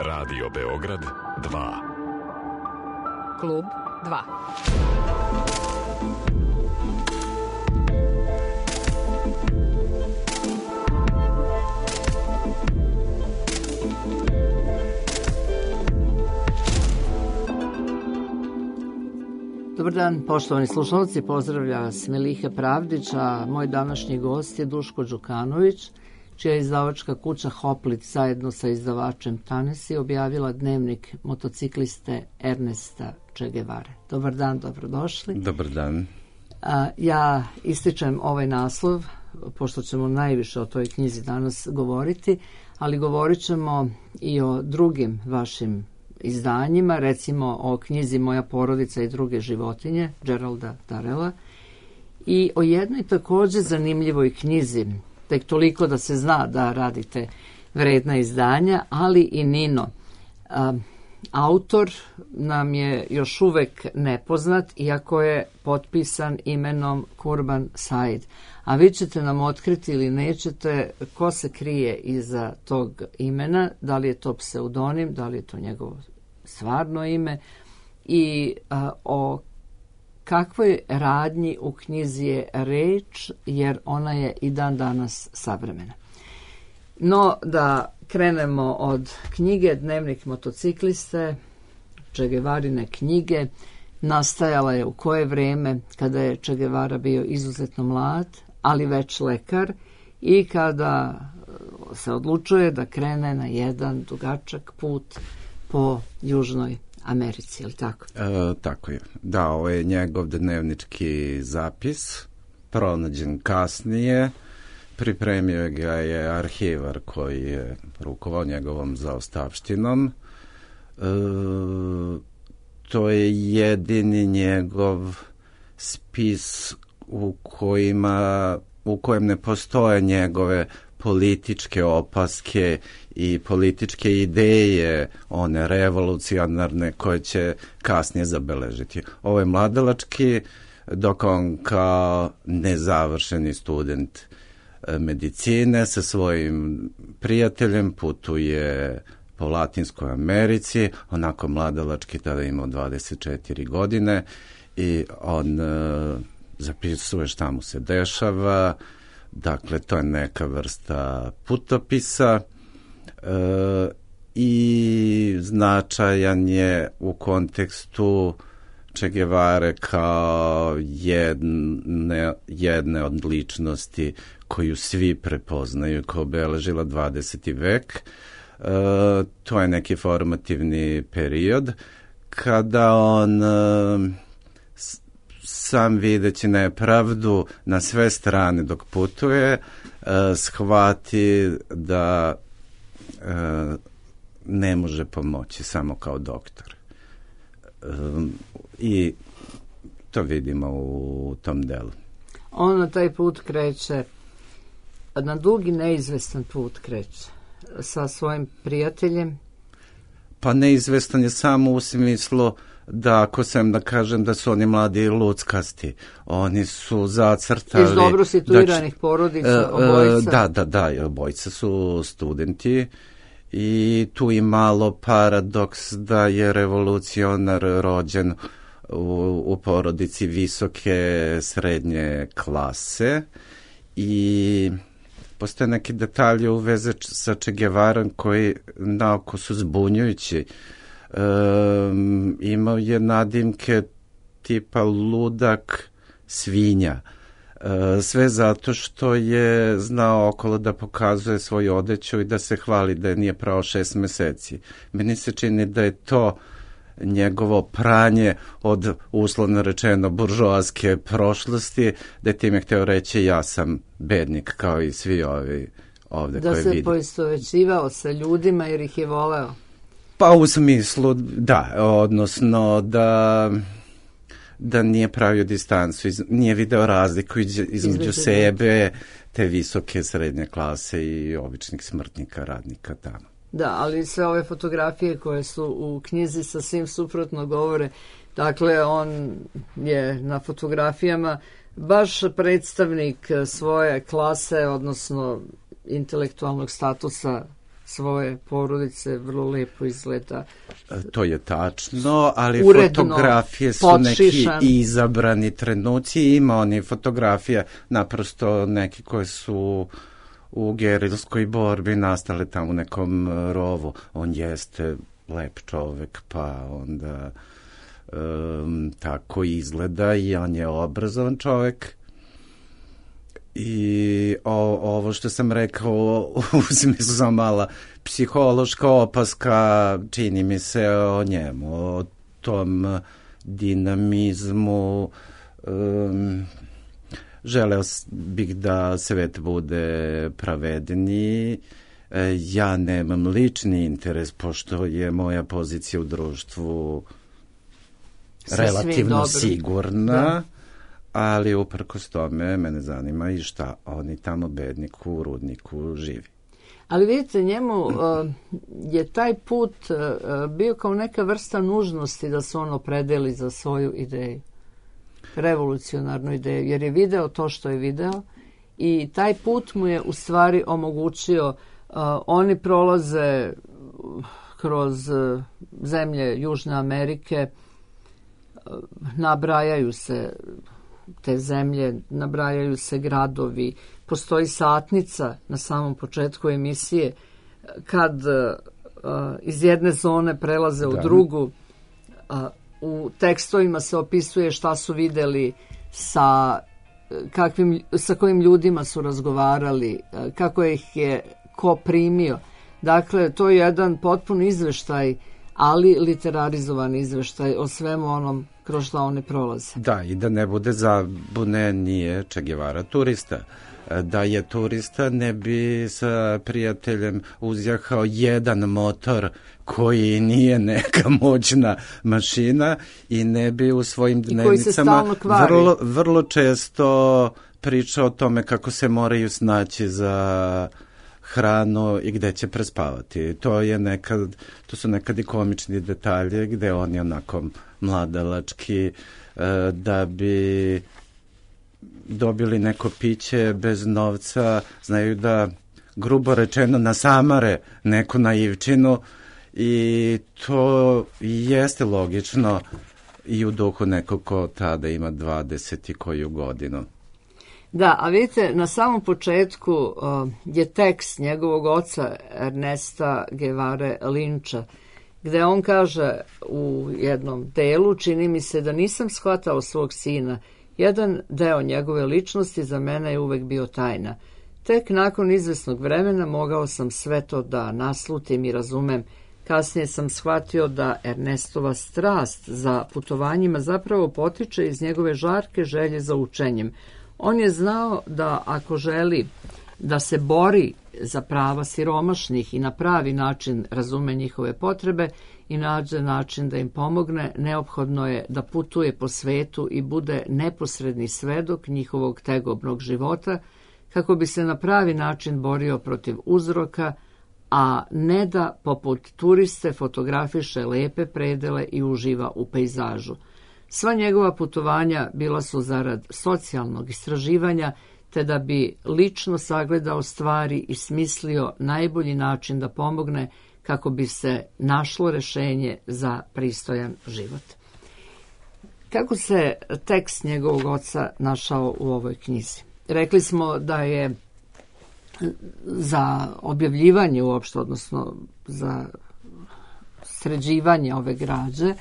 Radio Beograd 2. Klub 2. Dobar dan, poštovani slušalci, pozdravlja vas Meliha Pravdić, a moj današnji gost je Duško Đukanović, čija je izdavačka kuća Hoplit zajedno sa izdavačem Tanesi objavila dnevnik motocikliste Ernesta Che Guevare. Dobar dan, dobrodošli. Dobar dan. Ja ističem ovaj naslov, pošto ćemo najviše o toj knjizi danas govoriti, ali govorit ćemo i o drugim vašim izdanjima, recimo o knjizi Moja porodica i druge životinje, Geralda Darrella, i o jednoj također zanimljivoj knjizi, tek toliko da se zna da radite vredna izdanja, ali i Nino. Autor nam je još uvek nepoznat, iako je potpisan imenom Kurban Said. A vi ćete nam otkriti ili nećete ko se krije iza tog imena, da li je to pseudonim, da li je to njegovo stvarno ime i o kakvoj radnji u knjizi je reč, jer ona je i dan danas savremena. No, da krenemo od knjige Dnevnik motocikliste, Che Guevarine knjige. Nastajala je u koje vreme, kada je Che Guevara bio izuzetno mlad, ali već lekar, i kada se odlučuje da krene na jedan dugačak put po Južnoj Americi, ili tako? Tako je. Da, ovo je njegov dnevnički zapis, pronađen kasnije. Pripremio ga je arhivar koji je rukovao njegovom zaostavštinom. To je jedini njegov spis u kojem ne postoje njegove političke opaske i političke ideje, one revolucionarne koje će kasnije zabeležiti. Ovo je mladalački, dok on kao nezavršeni student medicine sa svojim prijateljem putuje po Latinskoj Americi, onako mladalački, tada imao 24 godine, i on zapisuje šta mu se dešava. Dakle, to je neka vrsta putopisa i značajan je u kontekstu Che Guevare kao jedne od ličnosti koju svi prepoznaju, koja obeležila 20. vek. To je neki formativni period kada on sam videći nepravdu na sve strane dok putuje, shvati da ne može pomoći samo kao doktor. I to vidimo u tom delu. On na taj put kreće, na dugi neizvestan put kreće sa svojim prijateljem. Pa neizvestan je samo u smislu da, ako sam da kažem da su oni mladi i luckasti, oni su zacrtali... Iz dobro situiranih porodica, obojica. Da, obojica su studenti i tu i malo paradoks da je revolucionar rođen u porodici visoke srednje klase i postoje neki detalji u veze sa Che Guevarom koji naoko su zbunjujući. Imao je nadimke tipa ludak, svinja. Sve zato što je znao okolo da pokazuje svoju odeću i da se hvali da je nije prao 6 meseci. Meni se čini da je to njegovo pranje od, uslovno rečeno, buržoaske prošlosti, da je time hteo reći ja sam bednik kao i svi ovi ovde da koje se vidim. poistovećivao sa ljudima jer ih je voleo. Pa u smislu, da, odnosno da nije pravio distancu, nije video razliku između sebe, te visoke srednje klase i običnih smrtnika, radnika tamo. Da, ali sve ove fotografije koje su u knjizi sasvim suprotno govore. Dakle, on je na fotografijama baš predstavnik svoje klase, odnosno intelektualnog statusa svoje porodice, vrlo lepo izgleda. To je tačno, ali Uredno, fotografije su podšišan. neki izabrani trenuci. Ima oni fotografije, naprosto neki koje su u gerilskoj borbi nastale tamo u nekom rovu. On jeste lep čovek, pa onda tako izgleda i on je obrazovan čovek. I ovo što sam rekao u smislu sam mala psihološka opaska, čini mi se o njemu, o tom dinamizmu. Želeo bih da svet bude pravedniji. Ja nemam lični interes, pošto je moja pozicija u društvu relativno sigurna, ali uprkos tome mene zanima i šta oni tamo bedniku u rudniku živi. Ali vidite, njemu je taj put bio kao neka vrsta nužnosti da se on opredeli za svoju ideju, revolucionarnu ideju, jer je video to što je video i taj put mu je u stvari omogućio. Oni prolaze kroz zemlje Južne Amerike, nabrajaju se te zemlje, nabrajaju se gradovi, postoji satnica na samom početku emisije kad iz jedne zone prelaze u drugu. U tekstovima se opisuje šta su videli, sa kojim ljudima su razgovarali, kako ih je ko primio. Dakle, to je jedan potpun izveštaj, ali literarizovan izveštaj o svemu onom kroz što oni prolaze. Da, i da ne bude zabune, nije Che Guevara turista. Da je turista, ne bi sa prijateljem uzjahao jedan motor koji nije neka moćna mašina i ne bi u svojim dnevnicama vrlo često pričao o tome kako se moraju snaći za hranu i gde će prespavati. To su nekad i komični detalje gde oni onako mladalački da bi dobili neko piće bez novca, znaju da grubo rečeno nasamare neku naivčinu i to jeste logično i u duhu nekog ko tada ima 20 i koju godinu. Da, a vidite, na samom početku je tekst njegovog oca Ernesta Guevare Linča, gde on kaže u jednom delu, čini mi se da nisam shvatao svog sina, jedan deo njegove ličnosti za mene je uvek bio tajna. Tek nakon izvesnog vremena mogao sam sve to da naslutim i razumem. Kasnije sam shvatio da Ernestova strast za putovanjima zapravo potiče iz njegove žarke želje za učenjem. On je znao da ako želi da se bori za prava siromašnih i na pravi način razume njihove potrebe i nađe način da im pomogne, neophodno je da putuje po svetu i bude neposredni svedok njihovog tegobnog života kako bi se na pravi način borio protiv uzroka, a ne da poput turiste fotografiše lepe predele i uživa u pejzažu. Sva njegova putovanja bila su zarad socijalnog istraživanja, te da bi lično sagledao stvari i smislio najbolji način da pomogne kako bi se našlo rešenje za pristojan život. Kako se tekst njegovog oca našao u ovoj knjizi? Rekli smo da je za objavljivanje uopšte, odnosno za sređivanje ove građe,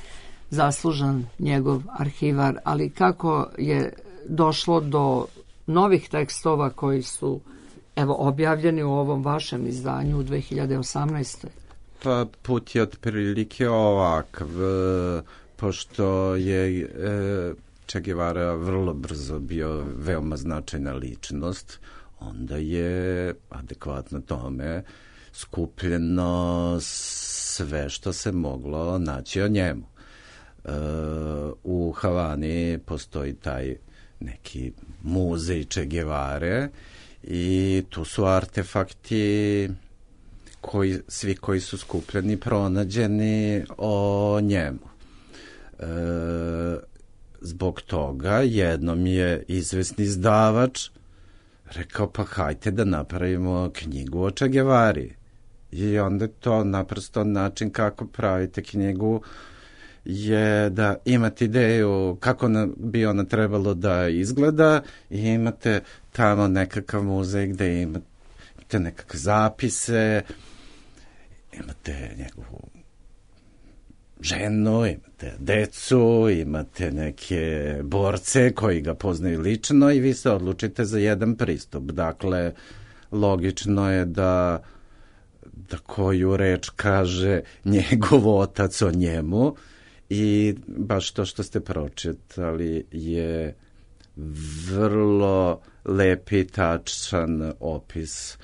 zaslužan njegov arhivar, ali kako je došlo do novih tekstova koji su objavljeni u ovom vašem izdanju u 2018. Pa put je otprilike ovakav, pošto je Che Guevara vrlo brzo bio veoma značajna ličnost, onda je adekvatno tome skupljeno sve što se moglo naći o njemu. U Havani postoji taj neki muzej Che Guevare i tu su artefakti svi koji su skupljeni, pronađeni o njemu. Zbog toga jednom je izvesni izdavač rekao, pa hajte da napravimo knjigu o Che Guevari. I onda to naprosto način kako pravite knjigu je da imate ideju kako bi ona trebalo da izgleda i imate tamo nekakav muzej gde imate nekakve zapise, imate njegovu ženu, imate decu, imate neke borce koji ga poznaju lično i vi se odlučite za jedan pristup. Dakle, logično je da koju reč kaže njegov otac o njemu i baš to što ste pročitali je vrlo lep i tačan opis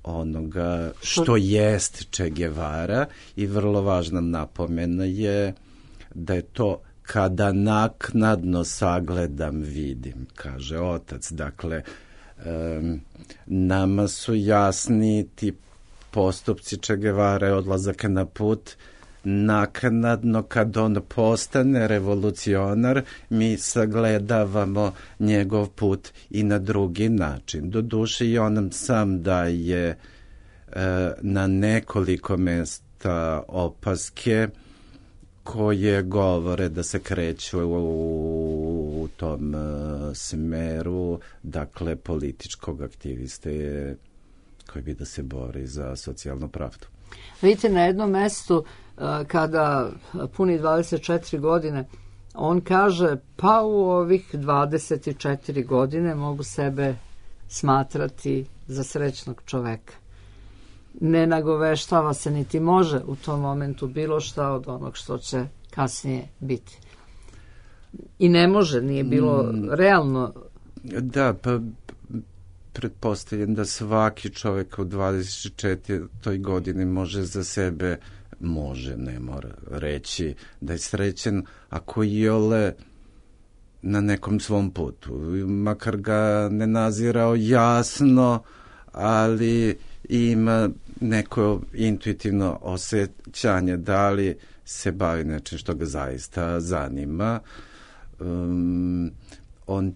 onoga što jest Che Guevara i vrlo važna napomena je da je to kada naknadno sagledam vidim, kaže otac. Dakle, nama su jasni ti postupci Che Guevara, odlazak na put, naknadno kad on postane revolucionar, mi sagledavamo njegov put i na drugi način. Doduše i on nam sam daje na nekoliko mesta opaske koje govore da se kreću u tom smeru, dakle, političkog aktiviste koji bi da se bori za socijalnu pravdu. Vidite, na jednom mestu kada puni 24 godine, on kaže, pa u ovih 24 godine mogu sebe smatrati za srećnog čoveka. Ne nagoveštava se niti može u tom momentu bilo šta od onog što će kasnije biti. I ne može, nije bilo realno. Da, pa pretpostavljam da svaki čovjek u 24. godini može za sebe, ne mora reći da je srećen ako je na nekom svom putu. Makar ga ne nazirao jasno, ali ima neko intuitivno osjećanje da li se bavi nečim što ga zaista zanima. On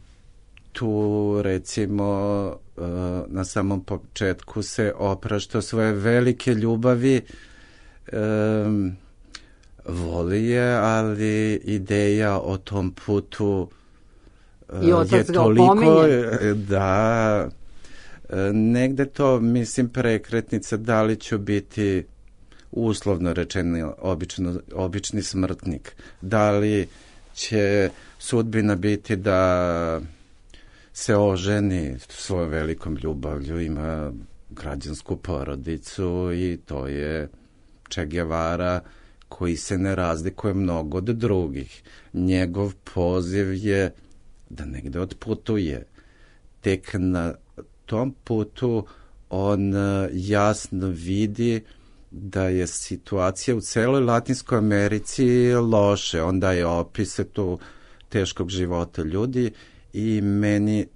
tu, recimo, na samom početku se oprašta svoje velike ljubavi, voli je, ali ideja o tom putu je toliko da negde to, mislim, prekretnica da li ću biti uslovno rečeno obični smrtnik, da li će sudbina biti da se oženi svojom velikom ljubavlju, ima građansku porodicu i to je Che Guevara koji se ne razlikuje mnogo od drugih. Njegov poziv je da negde otputuje. Tek na tom putu on jasno vidi da je situacija u celoj Latinskoj Americi loše. On daje opise tu teškog života ljudi i meni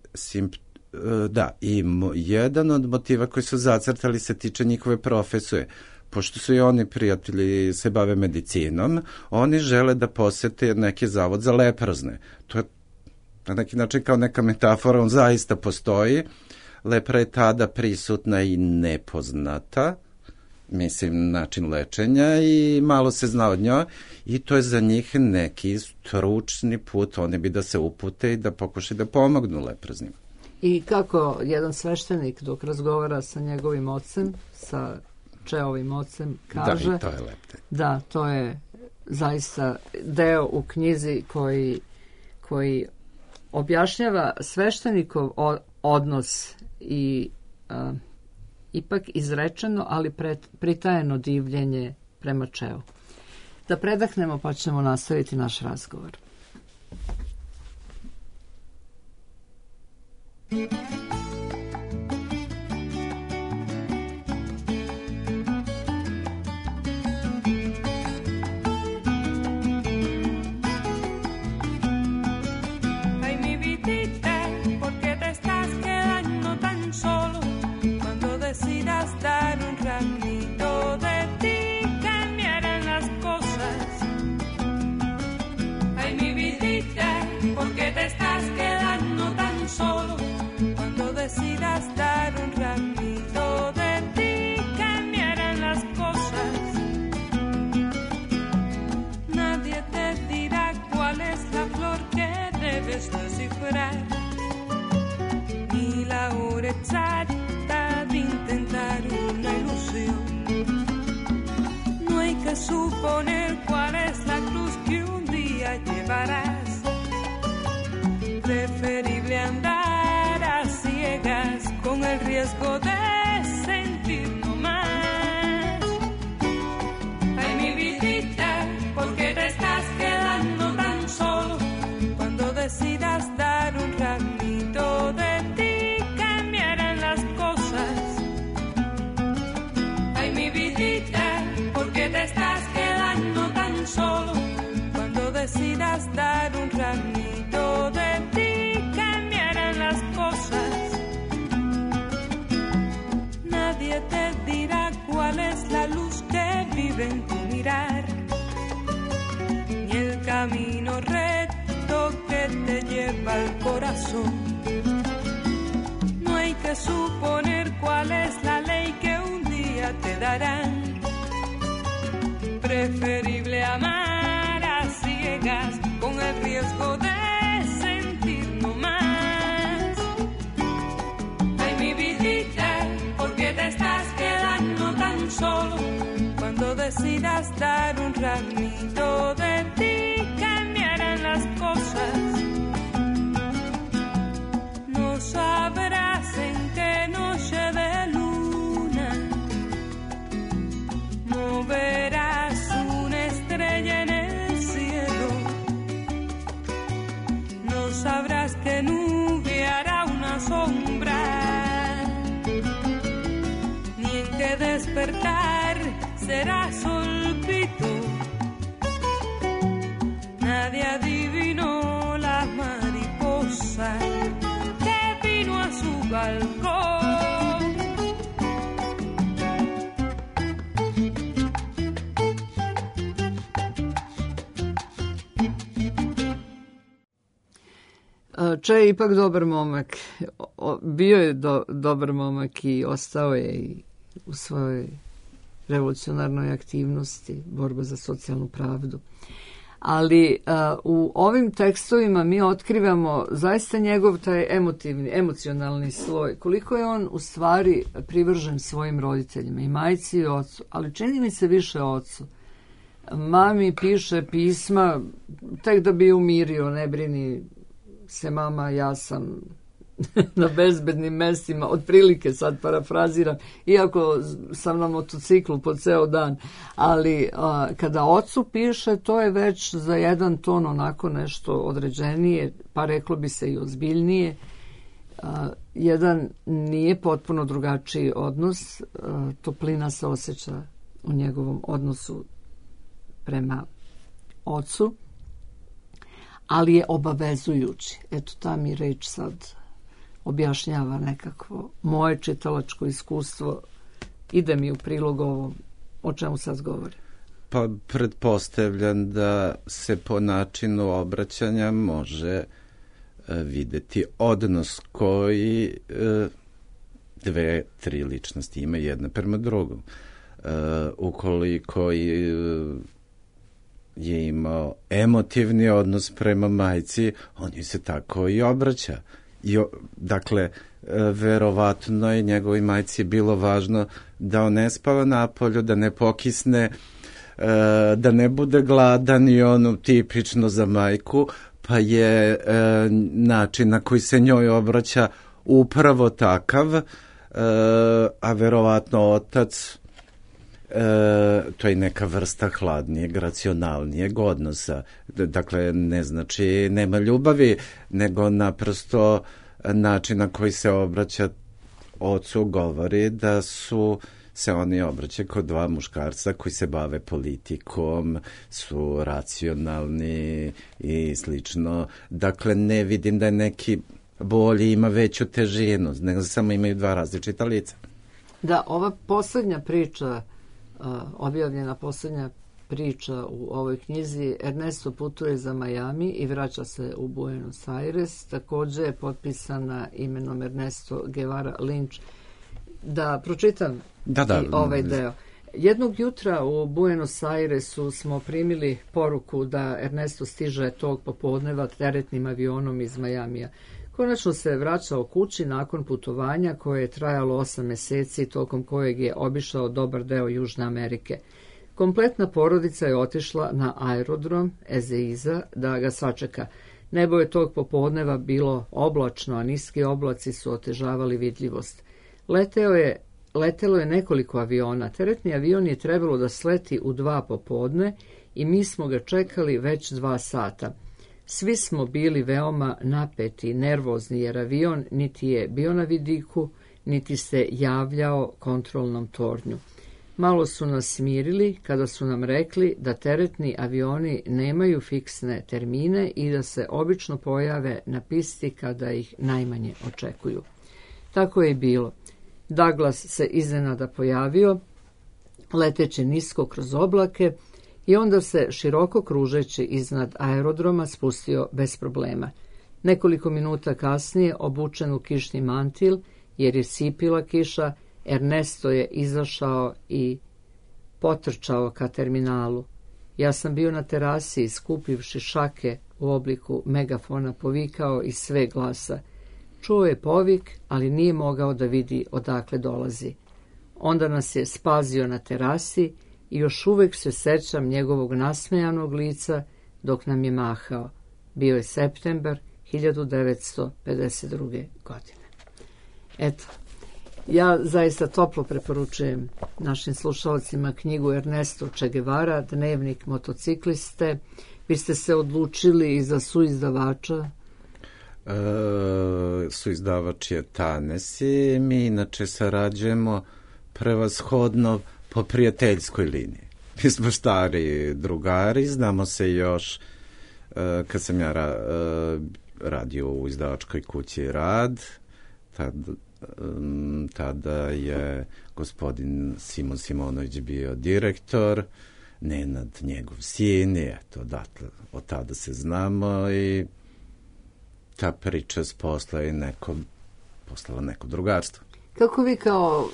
i jedan od motiva koji su zacrtali se tiče njihove profesije. Pošto su i oni prijatelji se bave medicinom, oni žele da posete neki zavod za leprozne. To je na neki način kao neka metafora, on zaista postoji. Lepra je tada prisutna i nepoznata, mislim, način lečenja i malo se zna od njoj i to je za njih neki stručni put, oni bi da se upute i da pokušaju da pomognu leproznim. I kako jedan sveštenik dok razgovara sa njegovim ocem, sa Cheovim ocem, kaže... Da, i to je lepte. Da, to je zaista deo u knjizi koji objašnjava sveštenikov odnos i ipak izrečeno, ali pritajeno divljenje prema Cheu. Da predahnemo pa ćemo nastaviti naš razgovor. Decidas dar un ramito de ti que me harán suponer cuál es la cruz que un día llevarás. Preferible andar a ciegas con el riesgo de sentir no más. Ay, mi vidita, ¿por qué te estás quedando tan solo? Cuando decidas dar un ramito de ti, cambiarán las cosas. Ay, mi vidita, ¿por qué te estás quedando tan solo? Cuando decidas dar un ramito de ti, cambiarán las cosas. Nadie te dirá cuál es la luz que vive en tu mirar, ni el camino recto que te lleva al corazón. No hay que suponer cuál es la ley que un día te darán. Preferible amar a ciegas con el riesgo de sentir no más. Ay, mi vidita, ¿por qué te estás quedando tan solo? Cuando decidas dar un ramito de ti, cambiarán las cosas. No sabrás en qué noche de luna no verás una estrella en el cielo. No sabrás qué nube hará una sombra, ni en qué despertar será solpito. Nadie adivinó la mariposa que vino a su balcón. Če je ipak dobar momak. Bio je dobar momak i ostao je i u svojoj revolucionarnoj aktivnosti, borba za socijalnu pravdu. Ali u ovim tekstovima mi otkrivamo zaista njegov taj emocionalni sloj. Koliko je on u stvari privržen svojim roditeljima, i majci i ocu, ali čini mi se više ocu. Mami piše pisma tek da bi umirio, ne brini se mama, ja sam na bezbednim mestima, otprilike sad parafraziram, iako sam na motociklu po ceo dan, ali kada ocu piše, to je već za jedan ton onako nešto određenije, pa reklo bi se i ozbiljnije. Jedan nije potpuno drugačiji odnos, toplina se osjeća u njegovom odnosu prema ocu, ali je obavezujući. Eto, ta mi reč sad objašnjava nekakvo moje čitalačko iskustvo, ide mi u prilog ovom o čemu sad govorim. Pa pretpostavljam da se po načinu obraćanja može videti odnos koji dve, tri ličnosti ima jedna prema drugom. Ukoliko je imao emotivni odnos prema majci, on ju se tako i obraća. Dakle, verovatno je njegovoj majci bilo važno da on ne spava napolju, da ne pokisne, da ne bude gladan i ono tipično za majku, pa je način na koji se njoj obraća upravo takav, a verovatno otac, to je neka vrsta hladnijeg, racionalnijeg odnosa. Dakle, ne znači nema ljubavi, nego naprosto način na koji se obraća ocu govori da se oni obraćaju kod dva muškarca koji se bave politikom, su racionalni i slično. Dakle, ne vidim da je neki bolji, ima veću težinu, nego samo imaju dva različita lica. Da, ova poslednja priča, objavljena poslednja priča u ovoj knjizi, Ernesto putuje za Miami i vraća se u Buenos Aires, takođe je potpisana imenom Ernesto Guevara Lynch. Da pročitam i ovaj deo. Jednog jutra u Buenos Airesu smo primili poruku da Ernesto stiže tog popodneva teretnim avionom iz Majamija. Konačno se vraćao kući nakon putovanja koje je trajalo 8 meseci, tokom kojeg je obišao dobar deo Južne Amerike. Kompletna porodica je otišla na aerodrom Ezeiza da ga sačeka. Nebo je tog popodneva bilo oblačno, a niski oblaci su otežavali vidljivost. Letelo je nekoliko aviona. Teretni avion je trebalo da sleti u 2 popodne i mi smo ga čekali već 2 sata. Svi smo bili veoma napeti, nervozni, jer avion niti je bio na vidiku, niti se javljao kontrolnom tornju. Malo su nas smirili kada su nam rekli da teretni avioni nemaju fiksne termine i da se obično pojave na pisti kada ih najmanje očekuju. Tako je i bilo. Douglas se iznenada pojavio, leteći nisko kroz oblake, i onda se široko kružeći iznad aerodroma spustio bez problema. Nekoliko minuta kasnije, obučen u kišni mantil, jer je sipila kiša, Ernesto je izašao i potrčao ka terminalu. Ja sam bio na terasi i skupivši šake u obliku megafona povikao iz sve glasa. Čuo je povik, ali nije mogao da vidi odakle dolazi. Onda nas je spazio na terasi i još uvek se sećam njegovog nasmejanog lica dok nam je mahao. Bio je septembar 1952. godine. Eto, ja zaista toplo preporučujem našim slušalcima knjigu Ernesto Che Guevara, Dnevnik motocikliste. Vi ste se odlučili i za suizdavača? Suizdavač je Tanesi. Mi inače sarađujemo prevashodno po prijateljskoj liniji. Mi smo stari drugari, znamo se još kad sam ja radio u izdavačkoj kući Rad, tada je gospodin Simon Simonović bio direktor, Nenad njegov sin, i eto, od tada se znamo i ta priča posla je postala neko drugarstvo. Kako vi kao,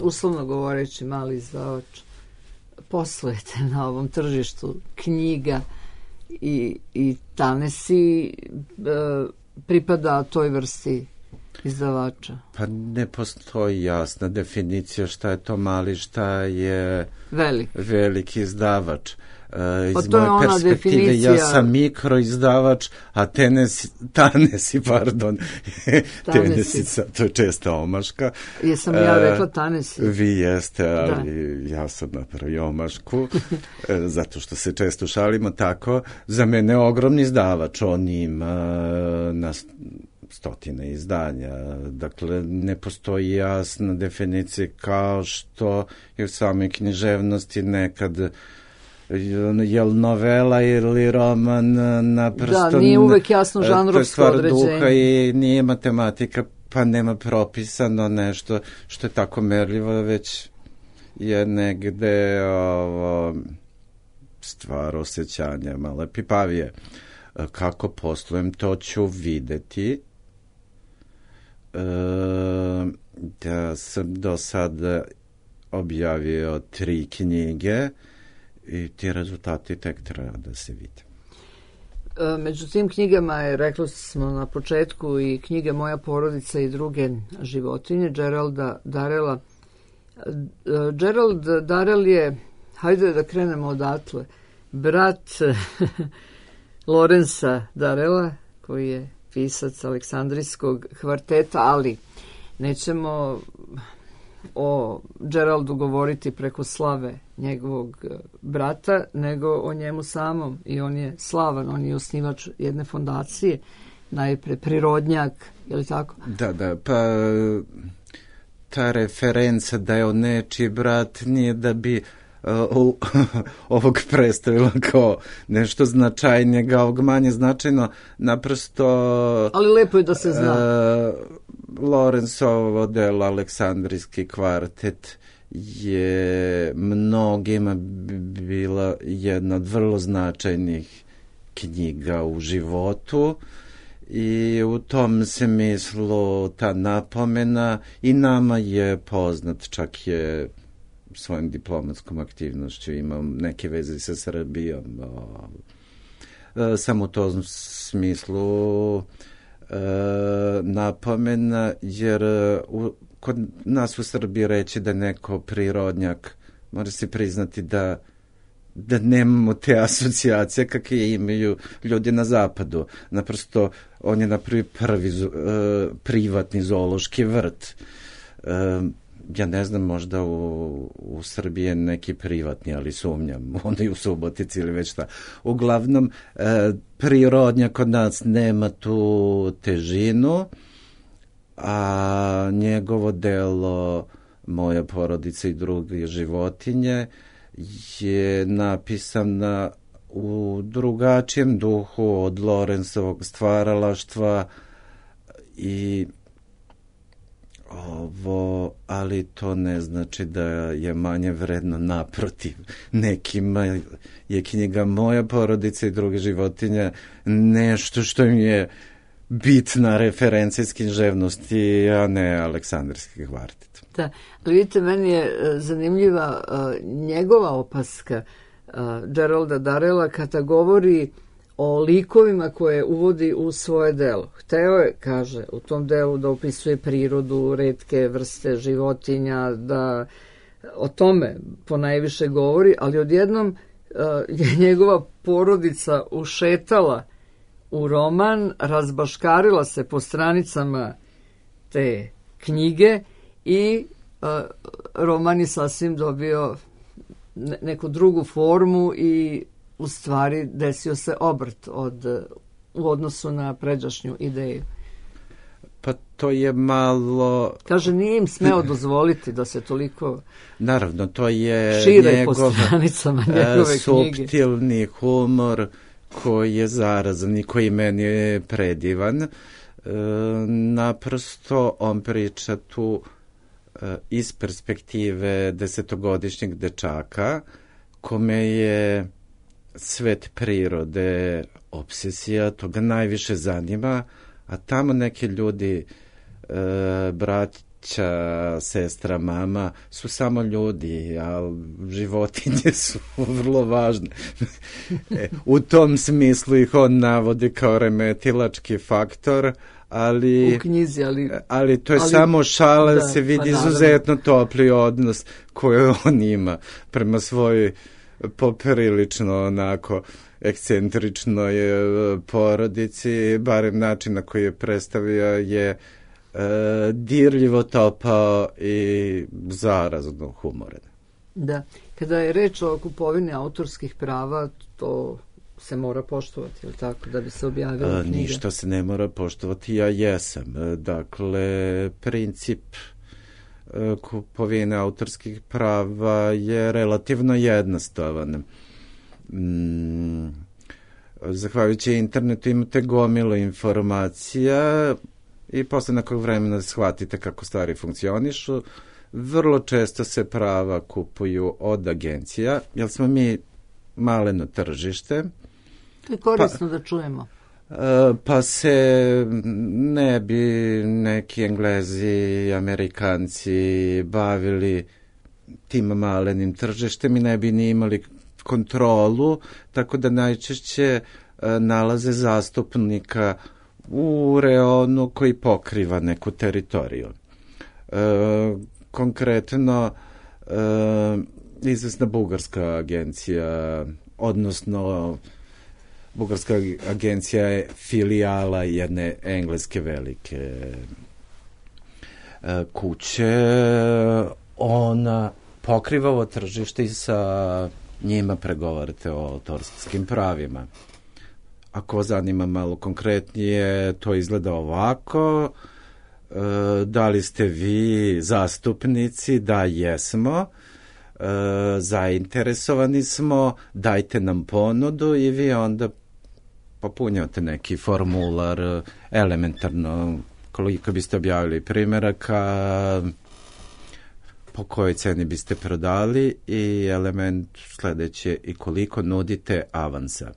uslovno govoreći, mali izdavač poslujete na ovom tržištu knjiga i Tanesi pripada toj vrsti izdavača? Pa ne postoji jasna definicija šta je to mali, šta je veliki izdavač. Iz moje perspektive definicija... ja sam mikroizdavač, a Tanesi, Tenesica, to je česta omaška. Jesam ja rekla Tanesi? Vi jeste, ali ja sam napravio omašku, zato što se često šalimo tako. Za mene je ogromni izdavač, on ima na stotine izdanja. Dakle, ne postoji jasna definicija kao što je u samoj književnosti nekad jel novela ili roman naprosto... Da, nije uvek jasno žanrovsko određenje. To je stvar duha i nije matematika, pa nema propisano nešto što je tako merljivo, već je negde stvar osjećanja malo pipavije. Kako poslujem, to ću videti. Da sam do sada objavio 3 knjige i ti rezultati tek treba da se vide. Među tim knjigama je, rekli smo na početku, i knjige Moja porodica i druge životinje Geralda Darrella. Gerald Darrell je, hajde da krenemo odatle, brat Lorenza Darrella, koji je pisac Aleksandrijskog kvarteta, ali nećemo o Geraldu govoriti preko slave njegovog brata, nego o njemu samom. I on je slavan, on je osnivač jedne fondacije, najpre prirodnjak, je li tako? Da, pa ta referenca da je on nečiji brat nije da bi ovog predstavila kao nešto značajnije, ovog manje značajno, naprosto... Ali lepo je da se zna. Lorenzovo delo Aleksandrijski kvartet je mnogima bila jedna od vrlo značajnih knjiga u životu i u tom smislu ta napomena i nama je poznat, čak je svojom diplomatskom aktivnošću imao neke veze sa Srbijom. Samo u tom smislu napomena, jer kod nas u Srbiji reći da neko prirodnjak, mora se priznati da da nemamo te asocijacije kakve imaju ljudi na zapadu. Naprosto, on je napravio prvi privatni zoološki vrt. Ja ne znam, možda u Srbiji je neki privatni, ali sumnjam, onda i u Subotici ili već šta. Uglavnom, prirodnja kod nas nema tu težinu, a njegovo delo Moja porodica i druge životinje je napisana u drugačijem duhu od Lorenzovog stvaralaštva i ali to ne znači da je manje vredno, naprotiv. Nekima je knjiga Moja porodica i druge životinje nešto što im je bitna referencija književnosti, a ne Aleksandrijski kvartet. Da, ali vidite, meni je zanimljiva njegova opaska Geralda Darrella kada govori o likovima koje uvodi u svoje delo. Hteo je, kaže, u tom delu da opisuje prirodu, retke vrste životinja, da o tome ponajviše govori, ali odjednom je njegova porodica ušetala u roman, razbaškarila se po stranicama te knjige i roman je sasvim dobio neku drugu formu i u stvari desio se obrt u odnosu na pređašnju ideju. Pa to je malo... Kaže, nije im smeo dozvoliti da se toliko... Naravno, to je šire po stranicama njegove knjige. Suptilni humor koji je zarazan i koji meni je predivan. Naprosto on priča tu iz perspektive 10-godišnjeg dečaka kome je svet prirode obsesija, to ga najviše zanima, a tamo neki ljudi, braća, sestra, mama, su samo ljudi, a životinje su vrlo važne. U tom smislu ih on navodi kao remetilački faktor, ali, u knjizi, ali to je samo šala, da se vidi izuzetno topli odnos koji on ima prema svojoj poprilično onako ekscentričnoj porodici, barem način na koji je predstavio je dirljivo topao i zarazno humoran. Da, kada je reč o kupovini autorskih prava, to se mora poštovati, ili tako, da bi se objavila knjiga? Ništa se ne mora poštovati, ja jesam. Dakle, princip kupovine autorskih prava je relativno jednostavan. Zahvaljujući internetu imate gomilu informacija i posle nekog vremena shvatite kako stvari funkcionišu. Vrlo često se prava kupuju od agencija, jer smo mi maleno tržište. To je korisno da čujemo. Pa se ne bi neki Englezi, Amerikanci bavili tim malenim tržištem i ne bi ni imali kontrolu, tako da najčešće nalaze zastupnika u reonu koji pokriva neku teritoriju. Konkretno, izvesna bugarska agencija, odnosno bugarska agencija je filijala jedne engleske velike kuće. Ona pokriva ovo tržište i sa njima pregovarate o autorskim pravima. Ako vas zanima malo konkretnije, to izgleda ovako. Da li ste vi zastupnici? Da, jesmo. Zainteresovani smo, dajte nam ponudu i vi onda popunjate neki formular elementarno koliko biste objavili primjeraka, po kojoj ceni biste prodali i element sledeće i koliko nudite avansa.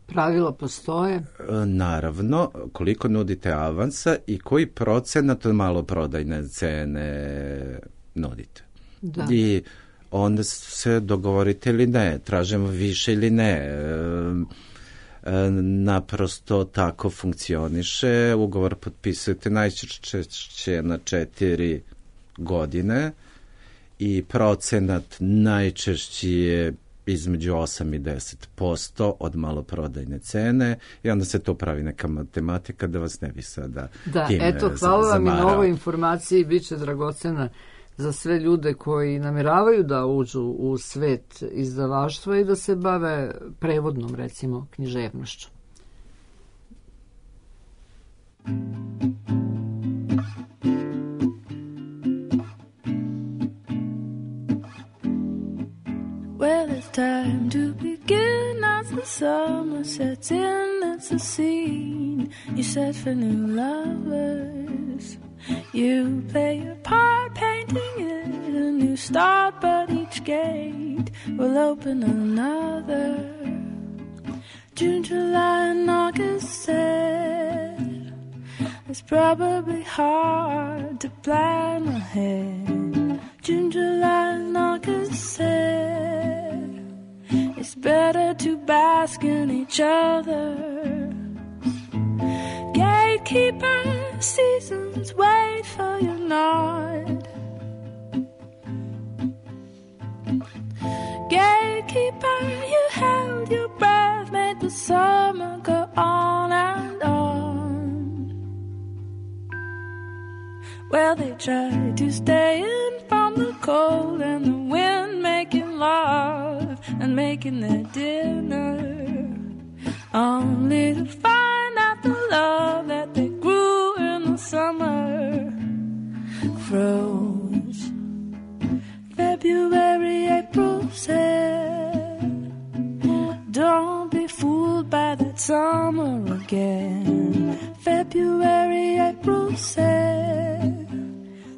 Pravila postoje? Naravno, koliko nudite avansa i koji procenat od maloprodajne cene nudite. Da. I onda se dogovorite ili ne, tražimo više ili ne. Naprosto tako funkcioniše. Ugovor potpisujete najčešće na 4 godine i procenat najčešći je između 8 i 10% od maloprodajne cene i onda se to pravi neka matematika da vas ne bi sada time eto, hvala vam i na zamarao. ovoj informaciji, bit će dragocena za sve ljude koji namjeravaju da uđu u svet izdavaštva i da se bave prevodnom, recimo, književnošću. Well, it's time to begin as the summer sets in. It's a scene you set for new lovers. You play your part, painting it a new start, but each gate will open another. June, July, and August said it's probably hard to plan ahead. June, July, and August said it's better to bask in each other. Gatekeeper, seasons wait for your nod. Gatekeeper, you held your breath, made the summer go on and on. Well, they tried to stay in from the cold and the wind, making love and making their dinner, only to find out the love that they grew in the summer froze. February, April said, don't be fooled by that summer again. February, April said,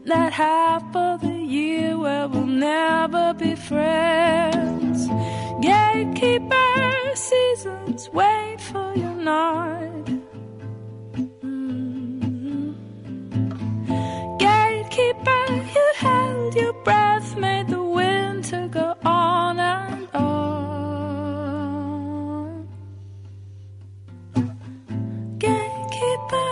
that half of the year where we'll never be friends. Gatekeeper, seasons wait for your nod. Gatekeeper, you held your breath, made the winter go on and on. Gatekeeper,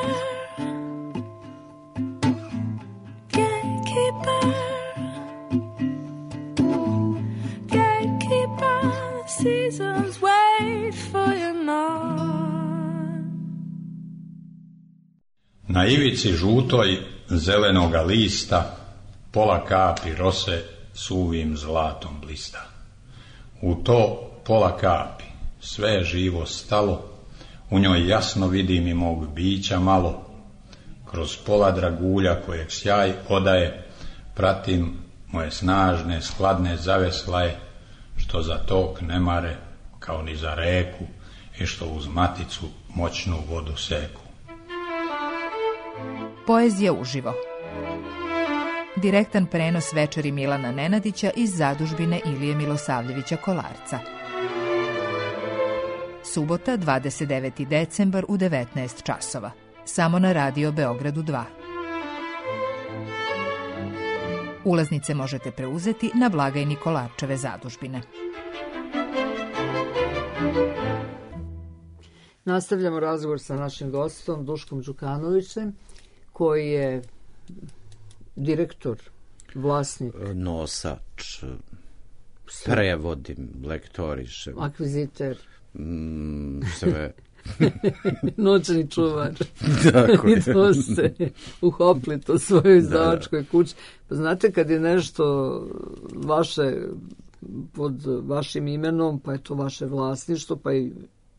gatekeeper, gatekeeper, seasons wait for your nod. Na ivici žutoj zelenoga lista pola kapi rose suvim zlatom blista. U to pola kapi sve je živo stalo, u njoj jasno vidim i mog bića malo. Kroz pola dragulja kojeg sjaj odaje, pratim moje snažne skladne zaveslaje, što za tok ne mare kao ni za reku i što uz maticu moćnu vodu seku. Poezija uživo. Direktan prenos večeri Milana Nenadića iz zadužbine Ilije Milosavljevića Kolarca. Subota, 29. decembar u 19 časova. Samo na Radio Beogradu 2. Ulaznice možete preuzeti na blagajni Kolarčeve zadužbine. Nastavljamo razgovor sa našim gostom Duškom Đukanovićem, koji je direktor, vlasnik, Nosač, prevodim, lektorišem, akviziter, sve. noćni čuvar. Tako I je. to ste uhopli to svojoj izdavačkoj kući. Pa znate, kad je nešto vaše pod vašim imenom, pa je to vaše vlasništvo, pa i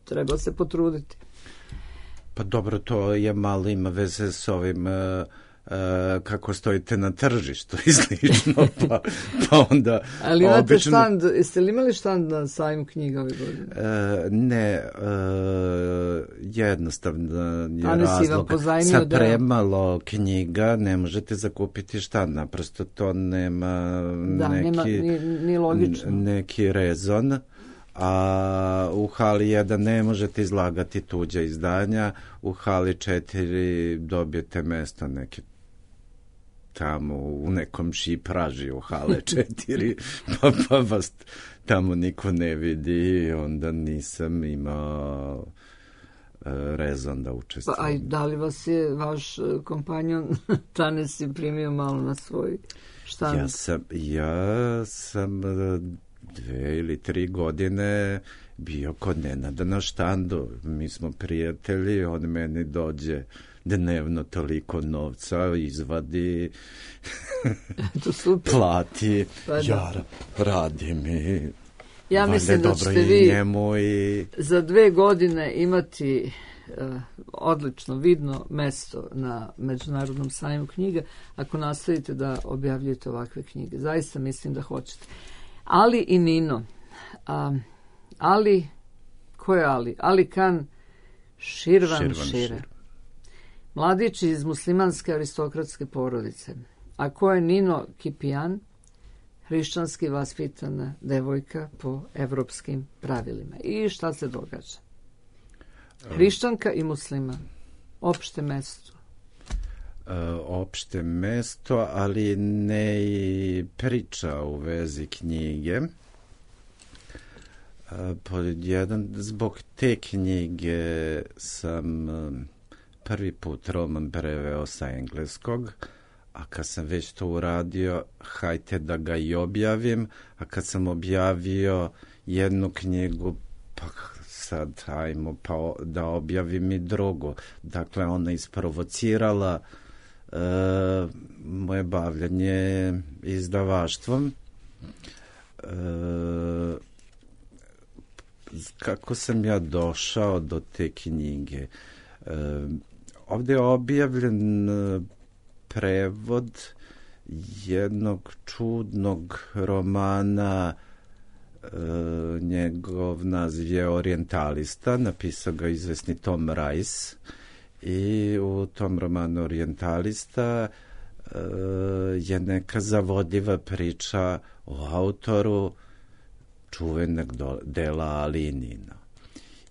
treba se potruditi. Pa dobro, to je malo ima veze s ovim kako stojite na tržištu i slično, pa onda... Ali imate obično... štand, jeste li imali štand na sajmu knjiga ove godine? Ne, jednostavno je A ne si vam razlog. pozajmio Sa deo? premalo knjiga ne možete zakupiti štand, naprosto to nema Da, nema, nije logično. neki rezon. A u hali 1 ne možete izlagati tuđa izdanja, u hali 4 dobijete mesto neke tamo u nekom šipraži u hale 4, pa vas tamo niko ne vidi, onda nisam imao rezon da Pa, učestvujem. a da li vas je vaš kompanjon Tanesi primio malo na svoj štand? Ja sam 2 ili 3 godine bio kod Nenada na štandu. Mi smo prijatelji, on meni dođe dnevno toliko novca, izvadi, plati, Pa da. ja radim i Ja mislim da dobro ćete i vi njemu i za 2 godine imati odlično vidno mesto na Međunarodnom sajmu knjiga ako nastavite da objavljujete ovakve knjige. Zaista mislim da hoćete. Ali i Nino. Ko je Ali? Ali Khan Širvan. Mladić iz muslimanske aristokratske porodice. A ko je Nino Kipijan? Hrišćanski vaspitana devojka po evropskim pravilima. I šta se događa? Hrišćanka i musliman. Opšte mesto. Opšte mesto, ali ne i priča u vezi knjige. Zbog te knjige sam prvi put roman preveo sa engleskog, a kad sam već to uradio, hajte da ga i objavim, a kad sam objavio jednu knjigu, pa sad hajmo pa da objavim i drugu. Dakle, ona isprovocirala moje bavljanje izdavaštvom. Kako sam ja došao do te knjige? Ovdje je objavljen prevod jednog čudnog romana, njegov naziv je Orijentalista, napisao ga izvesni Tom Rice, i u tom romanu Orijentalista je neka zavodljiva priča o autoru čuvenog dela Alinina.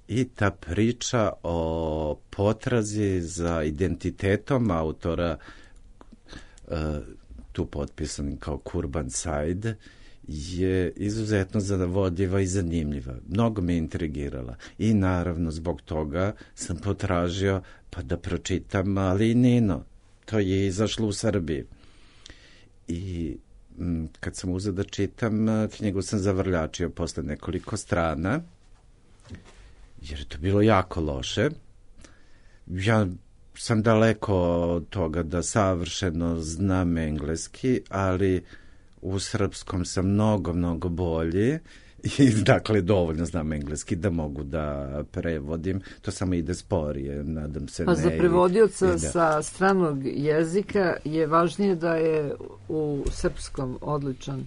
I ta priča o potrazi za identitetom autora, tu potpisanim kao Kurban Said, je izuzetno zavodljiva i zanimljiva. Mnogo me intrigirala. I naravno zbog toga sam potražio pa da pročitam Alinino. To je izašlo u Srbiji. I kad sam uzeo da čitam, knjigu sam zavrljačio posle nekoliko strana, jer je to bilo jako loše. Ja sam daleko od toga da savršeno znam engleski, ali u srpskom sam mnogo bolji i dakle dovoljno znam engleski da mogu da prevodim. To samo ide sporije, nadam se. Pa za prevodioca sa stranog jezika je važnije da je u srpskom odličan.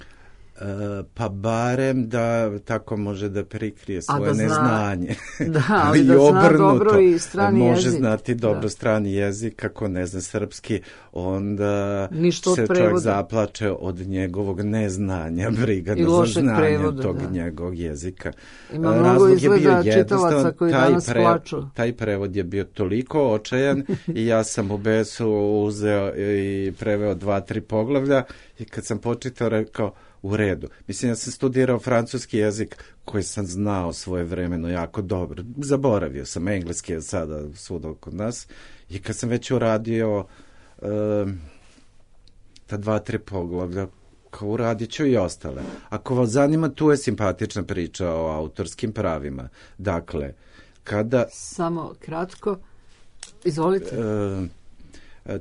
Pa barem da tako može da prikrije svoje neznanje. Da, ali da zna dobro i strani jezik. Može znati dobro strani jezik, ako ne zna srpski, onda se čovjek zaplače od njegovog neznanja, brigana za znanje tog njegovog jezika. Ima mnogo izgleda čitalaca koji danas plaču. Taj prevod je bio toliko očajan i ja sam u besu uzeo i preveo 2-3 poglavlja i kad sam počitao rekao, u redu. Mislim, ja sam studirao francuski jezik koji sam znao svoje vremeno jako dobro. Zaboravio sam, engleski je sada svuda kod nas. I kad sam već uradio ta 2-3 poglavlja, kao uradit ću i ostale. Ako vas zanima, tu je simpatična priča o autorskim pravima. Dakle, kada... Samo kratko, izvolite.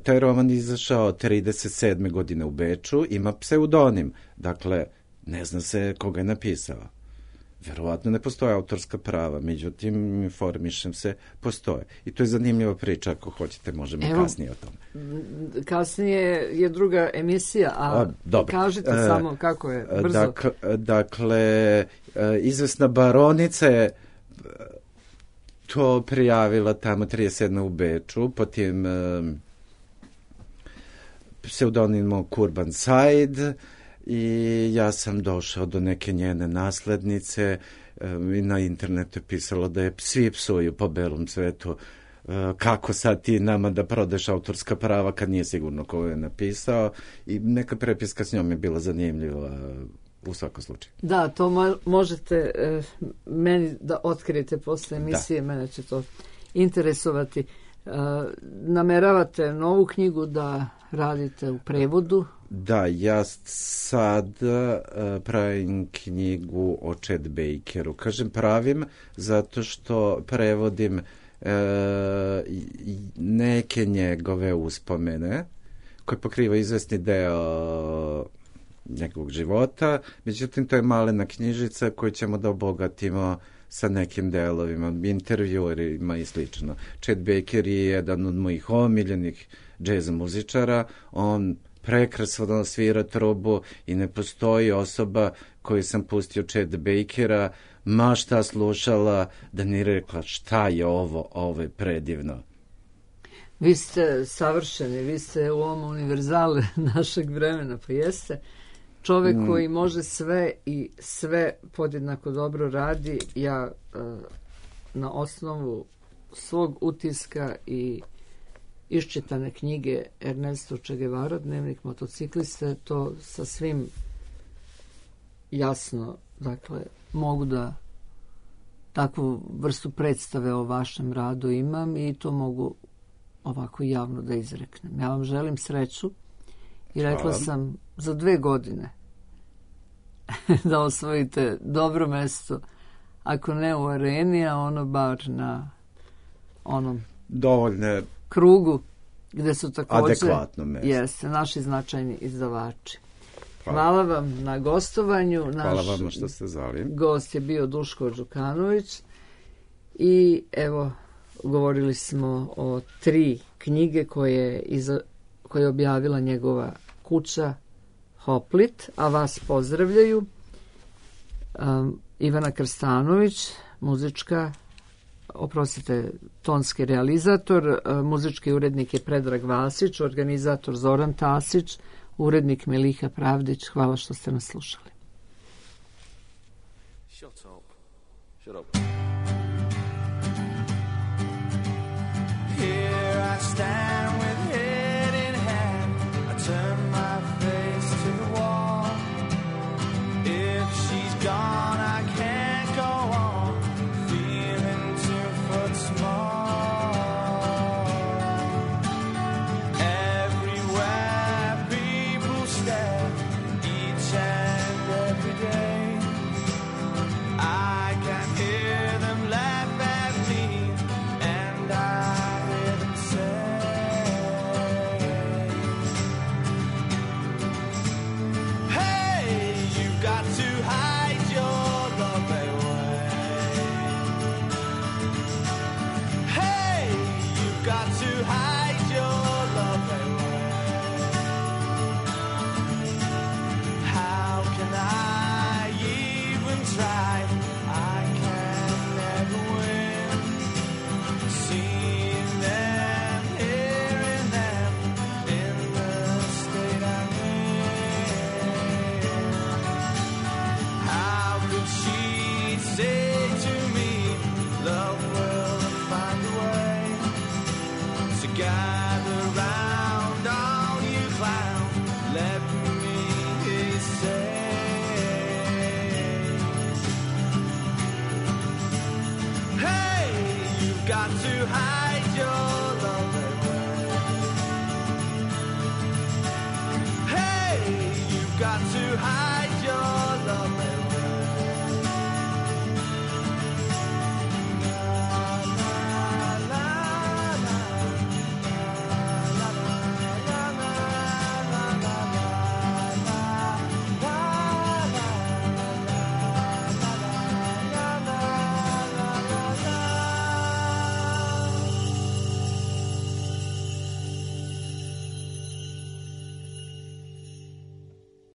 Taj roman izašao 37. godine u Beču, ima pseudonim, dakle, ne zna se koga je napisao. Verovatno ne postoje autorska prava, međutim, informišem se, postoje. I to je zanimljiva priča, ako hoćete, možemo kasnije o tome. Kasnije je druga emisija, a kažite samo kako je, brzo. Dakle, izvesna baronica je to prijavila tamo 37. u Beču, po tim... pseudonimom Kurban Said, i ja sam došao do neke njene naslednice i na internetu je pisalo da je svi psuju po belom svetu, kako sad ti nama da prodeš autorska prava kad nije sigurno ko je napisao, i neka prepiska s njom je bila zanimljiva u svakom slučaju. Da, to možete meni da otkrijete posle emisije, mene će to interesovati. Nameravate novu knjigu da radite u prevodu? Da, ja sad pravim knjigu o Chet Bakeru. Kažem pravim zato što prevodim neke njegove uspomene koje pokriva izvesni deo njegovog života, međutim to je malena knjižica koju ćemo da obogatimo sa nekim delovima, intervjuerima i slično. Chet Baker je jedan od mojih omiljenih džez muzičara, on prekrasno svira trubu i ne postoji osoba koju sam pustio Chet Bakera, ma šta slušala, da ni rekla šta je ovo je predivno. Vi ste savršeni, vi ste u ovom univerzale našeg vremena, pa jeste čovek koji može sve i sve podjednako dobro radi. Ja na osnovu svog utiska i iščitane knjige Ernesto Che Guevara, Dnevnik motocikliste, to sa svim jasno, dakle, mogu da takvu vrstu predstave o vašem radu imam i to mogu ovako javno da izreknem. Ja vam želim sreću i rekla sam za 2 godine da osvojite dobro mesto, ako ne u areni, a ono bar na onom dovoljne krugu gde su takođe adekvatno mesto. Jeste, naši značajni izdavači. Hvala vam na gostovanju. Hvala vam što ste zvali. Gost je bio Duško Đukanović i evo, govorili smo o 3 knjige koje je objavila njegova kuća Hoplit, a vas pozdravljaju Ivana Krstanović, tonski realizator, muzički urednik je Predrag Vasić, organizator Zoran Tasić, urednik Meliha Pravdić. Hvala što ste nas slušali. Shut up. Here I stand with head in hand, I turn my face to the wall. If she's gone, I can't go on, feeling 2 foot small. Everywhere people stare, each and every day, I can hear them laugh at me, and I hear them say, hey, you've got to hide your love away. Hey, you've got to hide your love away. How can I even try? I can never win. Seeing them, hearing them in the state I'm in. How could she say to me, love will find a way to gather round all you clown? Let me say, hey, you've got to hide your love away. Hey, you've got to hide